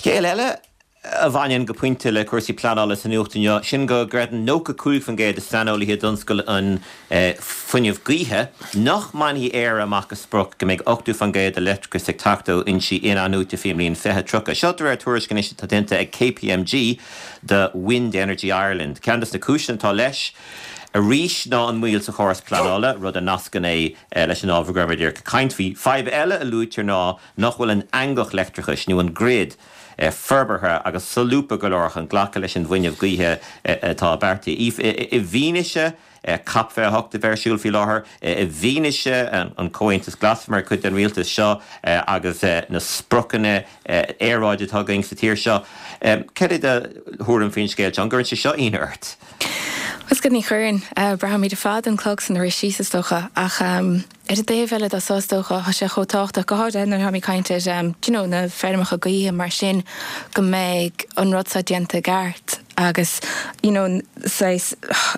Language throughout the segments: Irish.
Scéal eile a bhaineann go pointe le cúrsaí pleanála sa nuacht inniu, sin go gcreideann 95% de saineolaithe i dtionscal an fuinnimh gaoithe nach mbainfidh Éire amach a sprioc go mbeidh 80% de leictreachas ag teacht ó fhoinsí in-athnuaite faoin mbliain 2030. Seo de réir tuairisc anois atá déanta ag KPMG do Wind Energy Ireland. Ceann de na cúiseanna atá leis arís ná an mhoill sa chóras pleanála, rud a nascann é leis an ábhar go raibh muid ag caint faoi. Fadhb eile a luaitear ná nach bhfuil an eangach leictreachais, nó an grid, forbartha agus solúbtha go leor chun glacadh leis an bhfuinneamh gaoithe atá beartaithe. I bhfianaise COP 28 a bheith ar siúl faoi láthair, i bhfianaise an Comhaontas Glas mar chuid den rialtas seo agus na spriocanna aeráide atá againn sa tír seo, cad é do thuairim faoin scéal seo? An gcuireann sé seo ionadh ort? Bhuel, ní chuireann. Braithimid ar fad an clog san rith síos, is dócha, ach. Ar an dtaobh eile de so is dócha, tá sé chomh tábhachtach, go háirithe nuair atáimid ag caint ar do you know na feirmeacha gaoithe mar sin, go mbeidh an rud seo déanta i gceart agus you know saghas,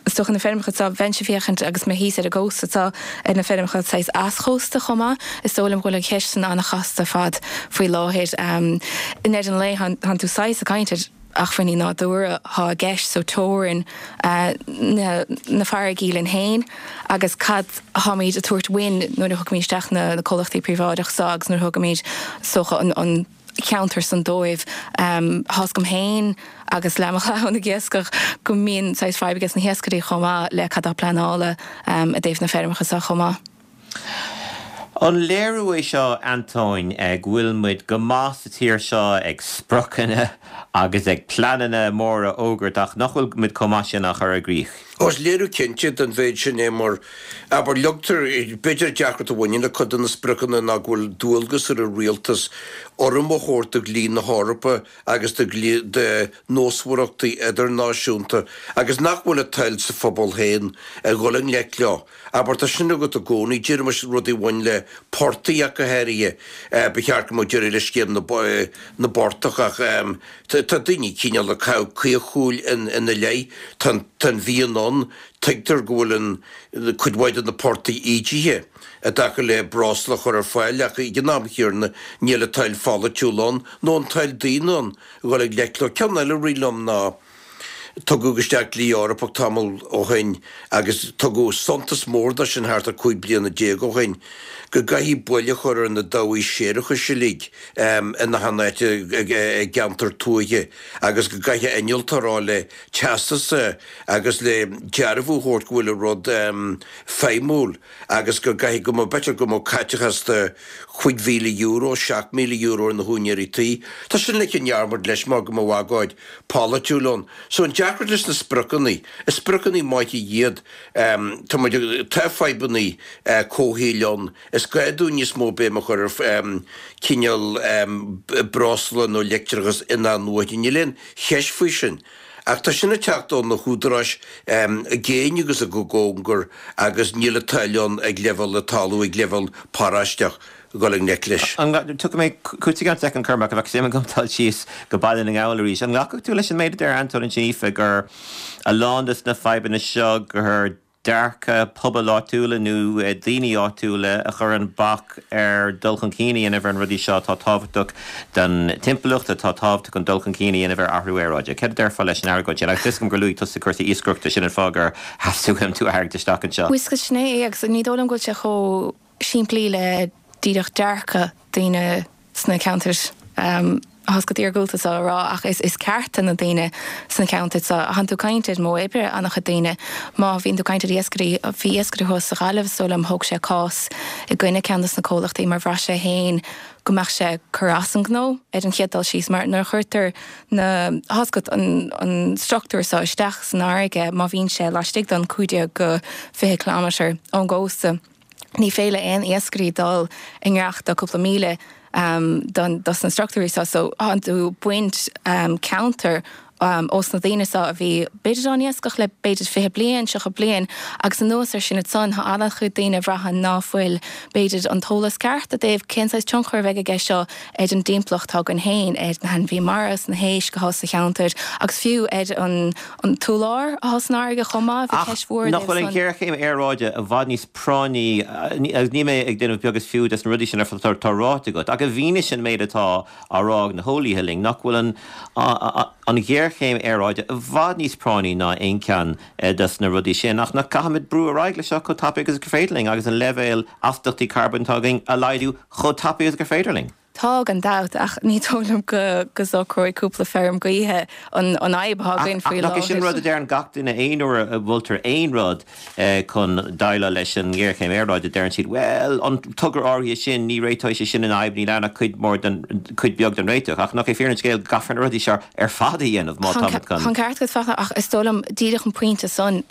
is dócha na feirmeacha seo, bheinnse ag féachaint agus mé thíos ar an gcósta seo ar na feirmeacha saghas easchósta chomh maith, is dóigh liom go bhfuil an cheist san an-chasta ar fad faoi láthair. I ndeireadh an lae, tánn tú saghas ag caint ar. acmhainní nádúrtha atá i gceist so teorainn na farraigí linn féin agus cad atáimid a tabhairt uainn nuair a thugaimid isteach na comhlachtaí príobháideach so agus nuair a thugaimid is dócha an ceantar san dóibh. Tá's agam féin agus le mo chlann ag iascach go mbíonn saghas fadhb aige na hiascairí chomh maith le cad atá pleanála i dtaobh na feirmeacha so chomh maith. An léiriú é seo, Antóin, go bhfuil muid go maith sa tír seo ag spriocanna agus ag pleananna móra a fhógairt ach nach bhfuil muid chomh maith sin á chur i gcrích? Ó, is léiriú cinnte den mhéid sin é mar, abair, leagtar, b'fhéidir an deacracht a bhaineann le cuid de na spriocanna ná go bhfuil dualgas ar an rialtas urraim a thabhairt do dhlí na hEorpa agus do nósmhaireachtaí idirnáisiúnta agus nach bhfuil an toil sa phobal féin a dhul i ngleic leo. Abair, tá sin agat i gcónaí, déarfaimis rudaí a bhain le portaigh ach go háirithe. Ba cheart go mbeadh deireadh le scéim na bportach ach tá daoine cineál ag caitheamh caochshúil ina leith. Tá an mhian ann, tuigtear go bhfuil an cuid mhaith de na portaigh ídithe i dtaca le breosla a chur ar fáil ach ag an am chéanna níl an toil pholaitiúil ann nó an toil daonna ann a dhul i ngleic leo. Ceann eile a rith liom ná. Tugadh isteach dlí Eorpach tamall ó shin agus tugadh suntas mór dó sin thart ar 15 bliana ó shin, go gcaithfí bail a chur ar na dabhaigh séarachais uilig in achan áit i gceantar tuaithe agus go gcaithfeadh innealtóir a fháil le teastas agus le dearbhú a thabhairt go bhfuil an rud feidhmiúil. agus go gcaithfidh go mbeadh, b'fhéidir go mbeadh caiteachas de €5,000, €7,000 ar na húinéirí tí. Tá sin ligthe i ndearmad leis mar go mbeadh agóid pholaitiúil ann. So an deacracht leis na spriocanna, is spriocanna maithe iad, tá muid, tá fadhbanna comhshaoil ann, is gá dúinn níos mó béim a chur ar cineál breosla nó leictreachas in-athnuaite, níl aon cheist faoi sin. Ach tá sin ag teacht ó na húdaráis i gcéin agus i gcóngar agus níl an toil ann ag leibhéal na talún, ag leibhéal paróisteach, dul i ngleic leis. Tiocfaidh mé chugat i gceann soicind, Cormac, ach bheadh suim agam dul síos go Baile na nGall arís. An nglacfadh tú leis an méid a deir Antóin ansin, Aoife, gur a lán de na fadhbanna seo gur dearcadh pobail áitiúla nó daoine áitiúla a chuireann bac ar dul chun cinn a dhéanamh ar na rudaí seo atá tábhachtach don timpeallacht, atá tábhachtach chun dul chun cinn a dhéanamh ar athrú aeráide. Céard a déarfá leis an argóint sin? Agus tá 'fhios agam gur luaigh tusa cúrsaí iascaireachta, sin an fáth gur theastaigh uaim tú a tharraingt isteach anseo. Bhuel, sin é, agus ní dóigh liom go bhfuil sé chomh simplí le díreach dearcadh daoine sna ceantair tá's agat iargúlta seo a rá ach is cearta na daoine sna ceantair seo. Tánn tú ag caint ar modh oibre an-chuid daoine. Má bhíonn tú ag caint ar iascairí, bhí iascaire thuas sa Ghaillimh is dóigh liom, thóg sé cás i gcoinne ceann dos na comhlachtaí mar bhraith sé féin go mbeadh sé ag cur as an ngnó ar an chéad dul síos mar nuair a chuirtear na, tá's agat, an struchtúr seo isteach san fharraige má bhíonn sé laistigh den 15-20 kilometre ón gcósta. Ní féidir le aon iascairí dul i ngiorracht do cúpla míle don dos na struchtúirí seo so tánn tú ag baint ceantar. ós na daoine seo a bhí b'fhéidir á n-iascach le b'fhéidir 20 bliain, 30 bliain agus anuas ar sin ansan tá an-chuid daoine a bhraitheann ná fuil b'fhéidir an t-eolas ceart i dtaobh cén saghas tionchar a bheidh aige seo ar an dtimpeallacht atá againn féin, ar na hainmhithe mara is na héisc atá sa cheantar agus fiú ar an an t-urlár atá san fharraige chomh maith, bhí ceist mhór i Nach dtaobh bhfuil an san. ghéarchéim aeráide i bhfad níos práinní, agus níl mé ag déanamh beag is fiú des na rudaí sin ar fad atá ráite agat, ach i bhfianaise an méid atá á rá ag na heolaithe linn, nach bhfuil an an ghéarchéim aeráide i bhfad níos práinní ná aon cheann des na rudaí sin, ach nach gcaithfimid brú ar aghaidh leis seo chomh tapaidh agus gur féidir linn agus an leibhéal astaíochtaí carbóin atá againn a laghdú chomh tapaidh agus gur féidir linn. Tá, gan dabht, ach ní dóigh liom go go socróidh cúpla feirm gaoithe an an fhadhb atá againn faoi láthair. Ach nach é sin rud a deireann gach duine aon uair a mholtar aon rud chun déileáil leis an ngéarchéim aeráide, deireann siad, bhuel, an togra áirithe sin, ní réiteoidh sé sin an fhadhb, níl ann ach cuid mhór den, cuid bheag den réiteach. Ach nach é fírinne an scéil go gcaithfear na rudaí seo ar fad a dhéanamh má táimid chun. Tá an ceart agat, Fachtna, ach is dóigh liom díreach an pointe san,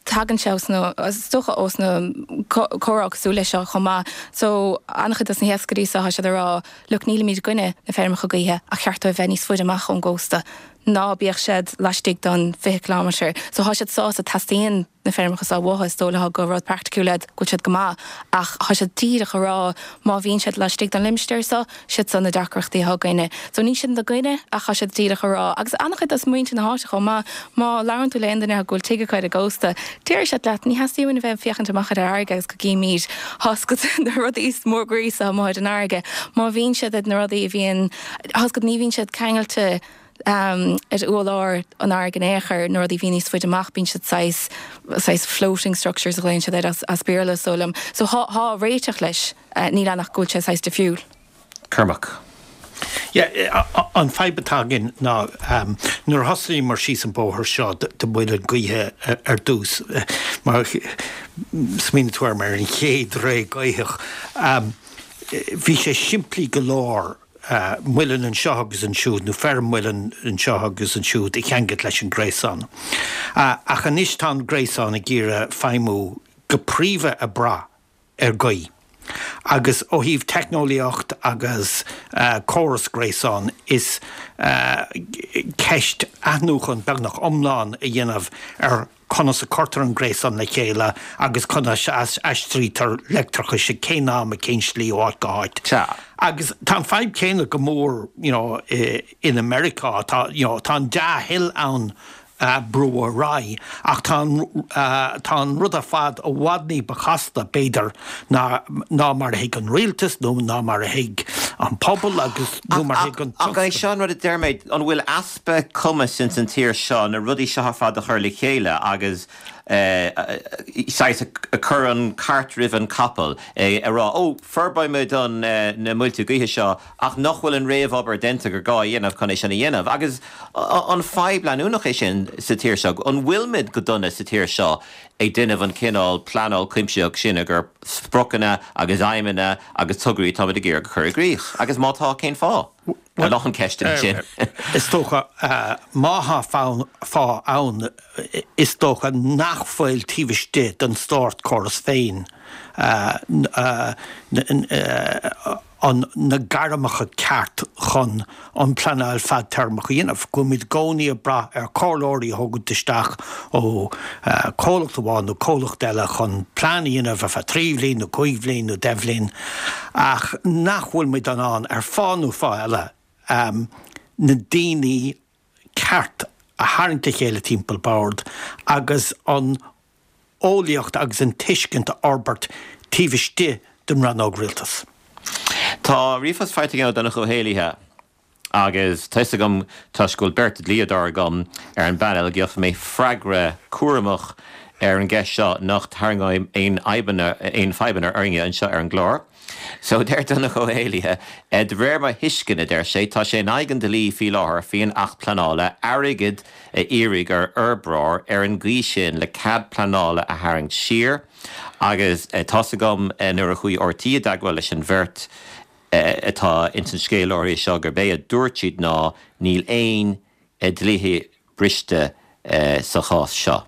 tagann sé ós na, is dócha ós na comhrá cosúil leis seo chomh maith. So, an-chuid dos na hiascairí seo, tá siad ag rá, look, nílimid i gcoinne na feirmeacha gaoithe ach cheart dóibh bheith níos faide amach ón gcósta. Ná bíodh siad laistigh don 20 kilometre. So, tá siad sásta, teastaíonn na feirmeacha seo uathu, is dóigh leo gur rud praiticiúil iad, go bhfuil siad go maith, ach tá siad díreach ag rá má bhíonn siad laistigh don limistéar seo, siad seo na deacrachtaí atá againne. So níl siad ina gcoinne ach tá siad díreach ag rá, agus an-chuid dos muintir na háite chomh maith, má labhrann tú le aon duine go bhfuil tigh acu ar an gcósta, déarfaidh siad leat, ní theastaíonn uainn a bheith ag féachaint amach ar an fharraige agus go gcímid tá 's agat na rudaí mór gríosa amuigh ar an fharraige. Má bhíonn siad ar na rudaí a bhíonn, tá 's agat, ní bhíonn siad ceangailte ar urlár an fharraige in aon chor, na rudaí a bhíonn níos faide amach, bíonn siad saghas, saghas floating structures a ghlaonn siad air as Béarla, is dóigh liom. So tá, tá réiteach leis. Níl ann ach go bhfuil sé saghas difriúil. Cormac. Yeah, an fadhb atá againn ná nuair a thosaíomar síos an bóthar seo de mhuileann gaoithe ar dtús, má smaoiníonn tú ar mar an chéad ré gaothach, bhí sé simplí go leor muileann anseo agus ansiúd nó feirm muileann anseo agus ansiúd a cheangailt leis an gréasán. Ach anois tá an gréasán ag iarraidh feidhmiú go príomha ag brath ar ghaoth. Agus ó thaobh teicneolaíocht agus córas gréasáin, is ceist athnuachan beagnach iomlán a dhéanamh ar conas a cuirtear an gréasán le chéile agus conas a aistrítear leictreachas ag cén am, ag cén slí ó áit go háit. Agus tá an fadhb chéanna go mór you know in Americá, tá you know tá an dea-thoil ann brú ar aghaidh. Ach tá an, tá an rud ar fad i bhfad ní ba chasta, b'fhéidir, ná, ná mar a thuig an rialtas nó ná mar a thuig an pobal agus nó mar a thuig an Ach, ach é seo an rud a deir mé, an bhfuil easpa cumais ins an tír seo na rudaí seo ar fad a chur le chéile agus saghas ag cur an cart roimh an capall, ag rá, ó, forbróidh muid an, na muilte gaoithe seo ach nach bhfuil an réamhobair déanta gur gá a dhéanamh chun é sin a dhéanamh. Agus an fadhb leanúnach é sin sa tír seo? An bhfuilimid go dona sa tír seo ag déanamh an cineál pleanáil cuimsitheach sin gur spriocanna agus aidhmeanna agus tograí atáimid ag iarraidh a chur i gcrích? Agus má tá, cén fáth? A lán ceisteanna sin. Is dócha, má tá fáth ann, is dócha nach bhfuil taobh istigh den státchóras féin an na gairmeacha ceart chun an pleanáil fadtéarmach a dhéanamh, go bhfuilimid i gcónaí ag brath ar chomhairleoirí a thógaint isteach ó chomhlacht amháin nó comhlacht eile chun plean a dhéanamh ar feadh 3 bhliain nó 5 bhliain nó 10 bhliain ach nach bhfuil muid in ann ar fáth nó fáth eile na daoine ceart a tharraingt le chéile timpeall bord agus an eolaíocht agus an tuiscint a fhorbairt taobh istigh den rannóg rialtais. Tá ríomhphost faighte agam ó Donncha Ó hÉallaithe agus tá 'fhios agam, toisc go bhfuil beirt dhlíodóir agam ar an bpainéal, go gheobhaidh mé freagra cúramach ar an gceist seo nach dtarraingeoidh aon fhadhbanna aon fadhbanna orainne anseo ar an gclár. So, deir Donncha Ó hÉallaithe, de réir mo thuisceana, deir sé, tá sé in aghaidh an dlí faoi láthair faoin Acht Pleanála airgead a iarraidh ar fhorbróir ar an gcaoi sin le cead pleanála a tharraingt siar agus tá's agam nuair a chuaigh RTÉ i dteagmháil leis an bheirt atá ins an scéal áirithe seo gurb é a dúirt siad ná níl aon dlíthe briste sa chás seo.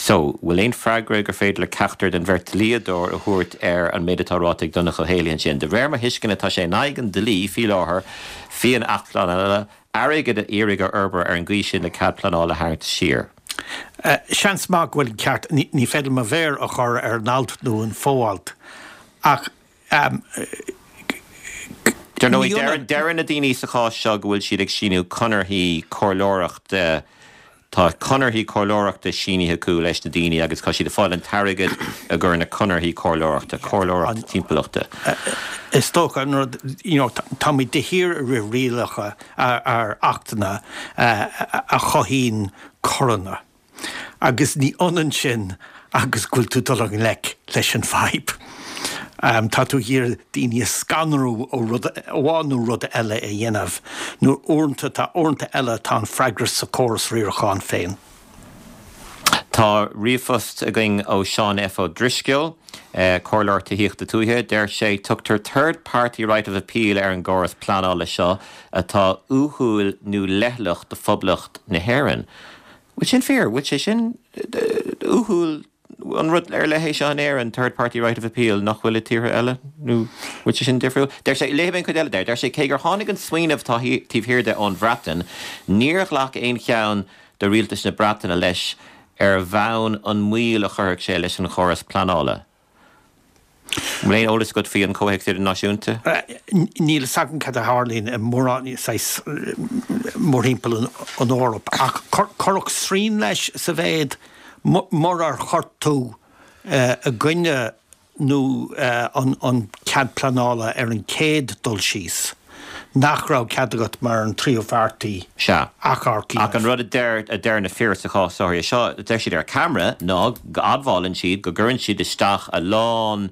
So, bhfuil aon freagra gur féidir le ceachtar den bheirt dlíodóir a thabhairt ar an méid atá ráite ag Donncha Ó hÉallaithe ansin? De réir mo thuisceana tá sé in aghaidh an dlí faoi láthair, faoin Acht Pleanála. Airgead a iarraidh ar fhorbróir ar an gcaoi sin le cead pleanála a tharraingt siar. Seans maith go bhfuil an ceart, ní féidir mo mhéar a chur ar an alt nó an fo-alt, ach Dar ndóigh, deireann na daoine sa chás seo go bhfuil siad ag síniú conarthaí comhairleoireachta Tá conarthaí comhairleoireachta sínithe acu leis na daoine agus tá siad ag fáil an t-airgead i gcomhair na conarthaí comhairleoireachta, comhairleoireacht timpeallachta. Is dócha an rud, you know, táimid de shíor ag rith rialacha ar achtanna a chothaíonn coireanna agus ní ionann sin agus go bhfuil tú dul i ngleic leis an bhfadhb. Tá tú ag iarraidh daoine a scanrú ó rud amháin nó rud eile a dhéanamh, nó uaireanta tá uaireanta eile tá an freagra sa chóras riaracháin féin. Tá ríomhphost againn ó Seán F. Ó Drisceoil, Comhairleoir Tithíochta Tuaithe. Deir sé, Tugtar third party right of appeal ar an gcóras pleanála seo atá uathúil nó leithleach do Phoblacht na hÉireann. Bhfuil sin fíor? Bhfuil sé sin uathúil? An rud ar leith é seo in Éirinn, third party right of appeal, nach bhfuil i tíortha eile? Nó bhfuil sé sin difriúil? Deir sé, léifidh mé an chuid eile de, deir sé, cé gur tháinig an smaoineamh atá taobh thiar de ón Bhreatain, níor ghlac aon cheann de rialtais na Breataine leis ar bhonn an moill a chuirfeadh sé leis an chóras pleanála. An bhfuil aon eolas agat faoi an comhthéacs idirnáisiúnta? Níl fhios agam cad a tharlaíonn i mórán, saghas, mórthimpeall an Eoraip, ach cuireadh srian leis sa mhéid murar chuir tú i gcoinne nó an cead pleanála ar an chéad dul síos, nach raibh cead agat mar an tríú pháirtí Sea. achomharc a Ach an rud a deir, a deir na fir sa chás áirithe seo, a deir siad ar ceamara, ná go admhálann siad go gcuireann siad isteach a lán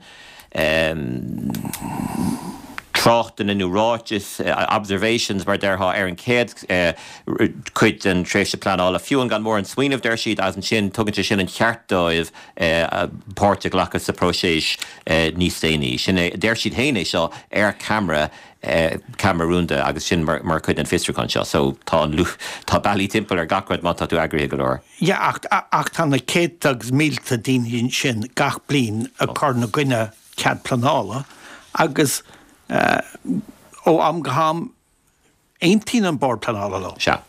em tráchtanna nó ráitis, observations mar a déarfá, ar an chéad eh cuid den tréimhse pleanála, fiú amháin gan mórán smaoineamh, deir siad, agus ansin tugann sé sin an cheart dóibh eh páirt a ghlacadh sa próiseas eh níos déanaí. Sin é, deir siad féin é seo ar ceamara ceamara rúnda agus sin mar chuid den fiosrúchán seo. So tá an tá bealaí timpeall ar gach rud má tá tú eagraithe go leor. Yeah ach ach tá na céadta agus mílte daoine sin gach bliain ag cur ina gcoinne cead pleanála agus ó am go ham aontaíonn an Bord Pleanála leo. Sea.